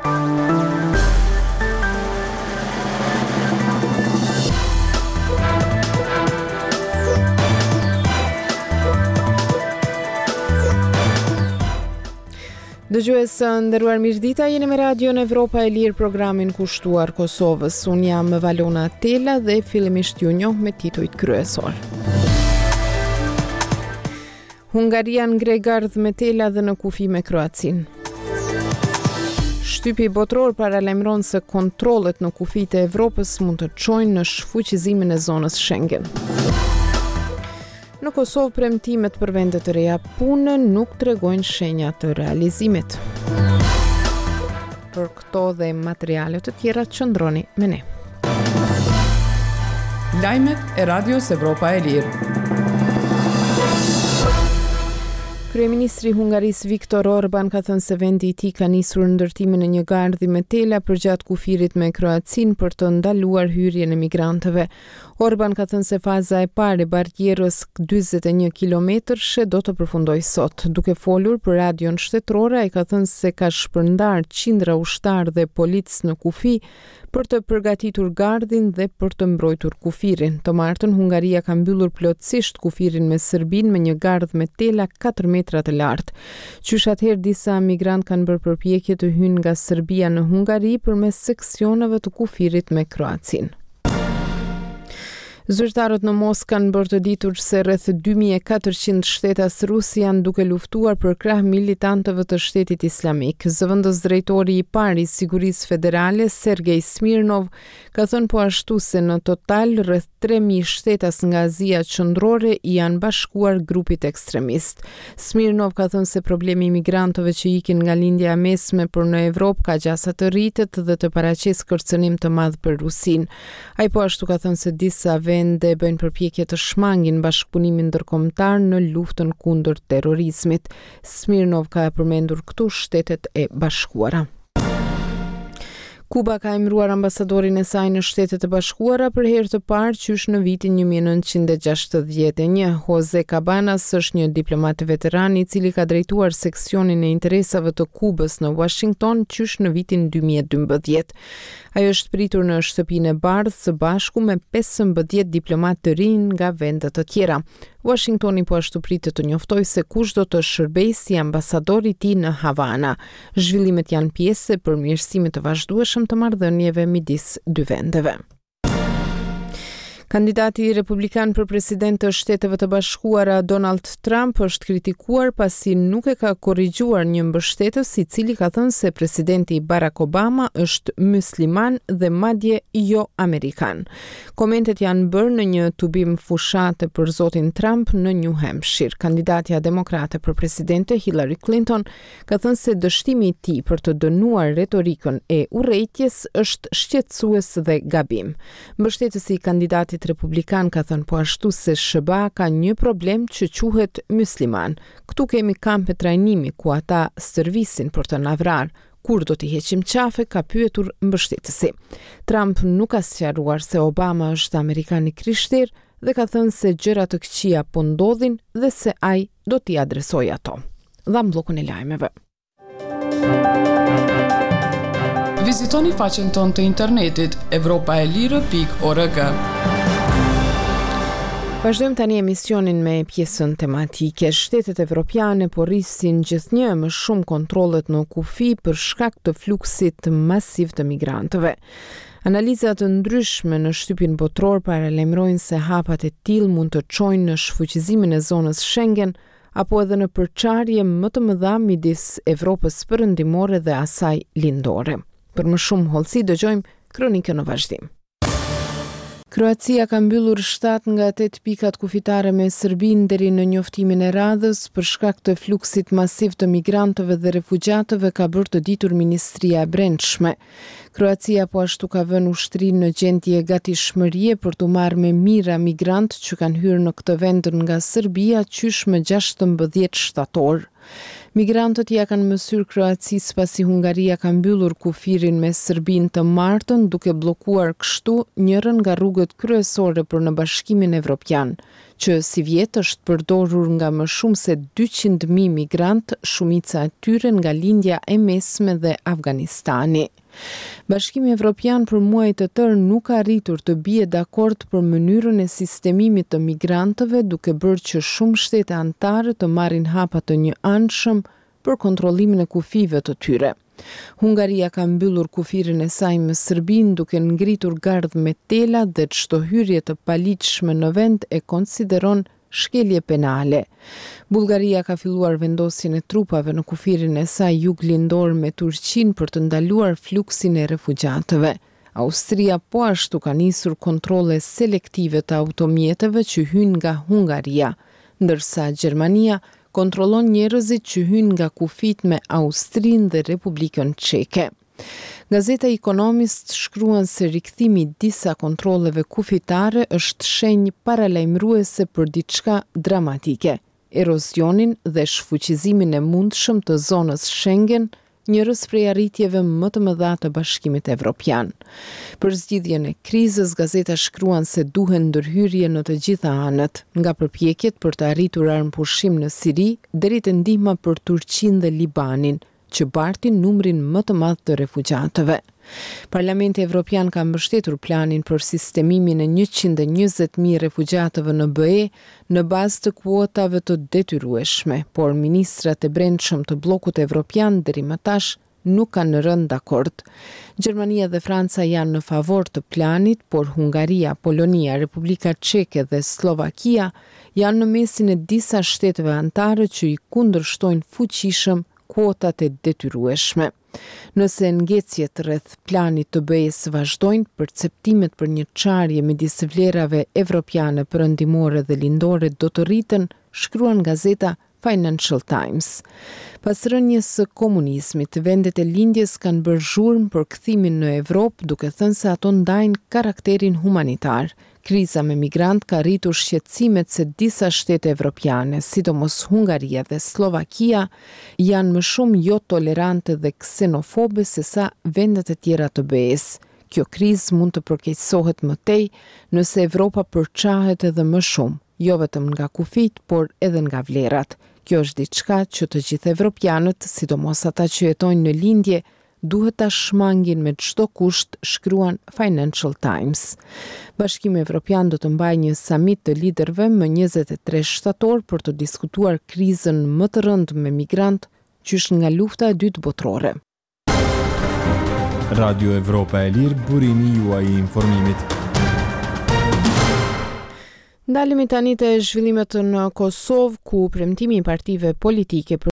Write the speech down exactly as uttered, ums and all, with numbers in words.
Dëgjues të nderuar, mirëdita, jeni me Radion Evropa e Lirë, programin kushtuar Kosovës. Unë jam Valona Tela dhe fillimisht ju njoh me titujt kryesor. Hungaria ngre gardh me tela dhe në kufi me Kroacinë. Shtypi botëror paralajmëron se kontrollet në kufijtë e Evropës mund të çojnë në shfuqizimin e zonës Schengen. Në Kosovë premtimet për vende të reja pune nuk tregojnë shenja të realizimit. Për këto dhe materiale të tjera qëndroni me ne. Lajmet e Radios Evropa e Lirë. Kryeministri i Hungarisë Viktor Orban ka thënë se vendi i tij ka nisur ndërtimin e një gardhi me tela përgjatë kufirit me Kroacinë për të ndaluar hyrjen e migrantëve. Orban ka thënë se faza e parë e barrierës dyzet e një kilometrëshe do të përfundojë sot. Duke folur për radion shtetërore, ai ka thënë se ka shpërndarë qindra ushtarë dhe policë në kufi për të përgatitur gardhin dhe për të mbrojtur kufirin. Të martën, Hungaria ka mbyllur plotësisht kufirin me Serbinë me një gardh me tela katër metra të lartë. Qysh atëherë disa migrantë kanë bërë përpjekje të hyjnë nga Serbia në Hungari përmes seksioneve të kufirit me Kroacinë. Zyrtarët në Moskë kanë bërë të ditur se rreth dy mijë e katërqind shtetas rusë janë duke luftuar për krah militantëve të Shtetit Islamik. Zëvendës drejtori i parë i Sigurisë Federale, Sergej Smirnov, ka thënë po ashtu se në total rreth tre mijë shtetas nga Azia Qendrore i janë bashkuar grupit ekstremist. Smirnov ka thënë se problemi i migrantëve që ikin nga Lindja e Mesme për në Evropë ka gjasa të rritet dhe të paraqesë kërcënim të madh për Rusinë. Ai po ashtu ka thënë se disa vende bëjnë përpjekje të shmangin bashkëpunimin ndërkombëtar në luftën kundër terrorizmit. Smirnov ka përmendur këtu Shtetet e Bashkuara. Kuba ka emëruar ambasadorin e saj në Shtetet e Bashkuara për herë të parë qysh në vitin një mijë e nëntëqind e gjashtëdhjetë e një. Jose Cabanas është një diplomat veteran, i cili ka drejtuar seksionin e interesave të Kubës në Washington qysh në vitin dy mijë e dymbëdhjetë. Ai është pritur në Shtëpinë e Bardhë së bashku me pesëmbëdhjetë diplomat të rinj nga vende të tjera. Washingtoni po ashtu pritet të njoftojë se kush do të shërbejë si ambasador i tij në Havana. Zhvillimet janë pjesë e përmirësimit të vazhdueshëm të marrëdhënieve midis dy vendeve. Kandidati republikan për president të Shteteve të Bashkuara, Donald Trump, është kritikuar pasi nuk e ka korrigjuar një mbështetës, i cili ka thënë se presidenti Barack Obama është musliman dhe madje jo amerikan. Komentet janë bërë në një tubim fushate për zotin Trump në New Hampshire. Kandidatja demokrate për presidente Hillary Clinton ka thënë se dështimi i tij për të dënuar retorikën e urrejtjes është shqetësues dhe gabim. Mbështetësi i kandidatit republikan ka thënë po ashtu se S H B A ka një problem që quhet musliman. "Këtu kemi kampe trajnimi ku ata stërvisin për të na vrarë. Kur do t'i heqim qafe?" ka pyetur mbështetësi. Trump nuk ka sqaruar se Obama është amerikan i krishterë dhe ka thënë se gjëra të këqija po ndodhin dhe se ai do t'i adresojë ato. Dhamë bllokun e lajmeve. Vizitoni faqen tonë të internetit evropaelire pikë org. Vazhdojmë tani emisionin me pjesën tematike. Shtetet evropiane po rrisin gjithnjë më shumë kontrollet në kufi për shkak të fluksit masiv të migrantëve. Analiza të ndryshme në shtypin botëror paralajmërojnë se hapat e tillë mund të çojnë në shfuqizimin e zonës Schengen apo edhe në përçarje më të mëdha midis Evropës Perëndimore dhe asaj lindore. Për më shumë hollësi dëgjojmë kronikën në vazhdim. Kroacia ka mbyllur shtatë nga tetë pikat kufitare me Serbinë deri në njoftimin e radhës për shkak të fluksit masiv të migrantëve dhe refugjatëve, ka bërë të ditur Ministria e Brendshme. Kroacia po ashtu ka vënë ushtrinë në gjendje gatishmërie për të marrë me mijëra migrantë që kanë hyrë në këtë vend nga Serbia qysh më gjashtëmbëdhjetë shtator. Migrantët ja kanë mësyrë Kroacisë pasi Hungaria ka mbyllur kufirin me Serbinë të martën, duke bllokuar kështu njërën nga rrugët kryesore për në Bashkimin Evropian. që sivjet është përdorur nga më shumë se dyqind mijë migrantë, shumica e tyre nga Lindja e Mesme dhe Afganistani. Bashkimi Evropian për muaj të tërë nuk ka arritur të bie dakord për mënyrën e sistemimit të migrantëve, duke bërë që shumë shtete anëtare të marrin hapa të njëanshëm për kontrollimin e kufijve të tyre. Hungaria ka mbyllur kufirin e saj me Serbinë duke ngritur gardh me tela dhe çdo hyrje të paligjshme në vend e konsideron shkelje penale. Bullgaria ka filluar vendosjen e trupave në kufirin e saj juglindor me Turqinë për të ndaluar fluksin e refugjatëve. Austria po ashtu ka nisur kontrolle selektive të automjeteve që hyjnë nga Hungaria, ndërsa Gjermania kontrollon njerëzit që hyjnë nga kufijtë me Austrinë dhe Republikën Çeke. Gazeta Economist shkruan se rikthimi i disa kontrolleve kufitare është shenjë paralajmëruese për diçka dramatike, erozionin dhe shfuqizimin e mundshëm të zonës Schengen, njërës prej arritjeve më të mëdha të Bashkimit Evropian. Për zgjidhjen e krizës, gazeta shkruan se duhen ndërhyrje në të gjitha anët, nga përpjekjet për të arritur armëpushim në Siri deri te ndihma për Turqinë dhe Libanin, që bartin numrin më të madh të refugjatëve. Parlamenti Evropian ka mbështetur planin për sistemimin e njëqind e njëzet mijë refugjatëve në B E në bazë të kuotave të detyrueshme, por ministrat e brendshëm të bllokut evropian deri më tash nuk kanë rënë dakord. Gjermania dhe Franca janë në favor të planit, por Hungaria, Polonia, Republika Çeke dhe Slovakia janë në mesin e disa shteteve anëtare që i kundërshtojnë fuqishëm kuotat e detyrueshme. Nëse ngecjet rreth planit të B E-së vazhdojnë, perceptimet për një çarje midis vlerave evropiane perëndimore dhe lindore do të rriten, shkruan gazeta Financial Times. Pas rënies së komunizmit, vendet e lindjes kanë bërë zhurmë për kthimin në Evropë, duke thënë se ato ndajnë karakterin humanitar. Kriza me migrant ka rritur shqetësimet se disa shtete evropiane, sidomos Hungaria dhe Slovakia, janë më shumë jo tolerante dhe ksenofobe se sa vendet e tjera të B E-së. Kjo krizë mund të përkeqësohet më tej nëse Evropa përçahet edhe më shumë, jo vetëm nga kufijt, por edhe nga vlerat. Kjo është diçka që të gjithë evropianët, sidomos ata që jetojnë në lindje, duhet ta shmangin me çdo kusht, shkruan Financial Times. Bashkimi Evropian do të mbajë një samit të liderëve më njëzet e tre shtator për të diskutuar krizën më të rëndë me migrant qysh nga lufta e dytë botërore. Radio Evropa e Lirë, burimi juaj i informimit. Ndalemi tani te zhvillimet në Kosovë, ku premtimi i partive politike për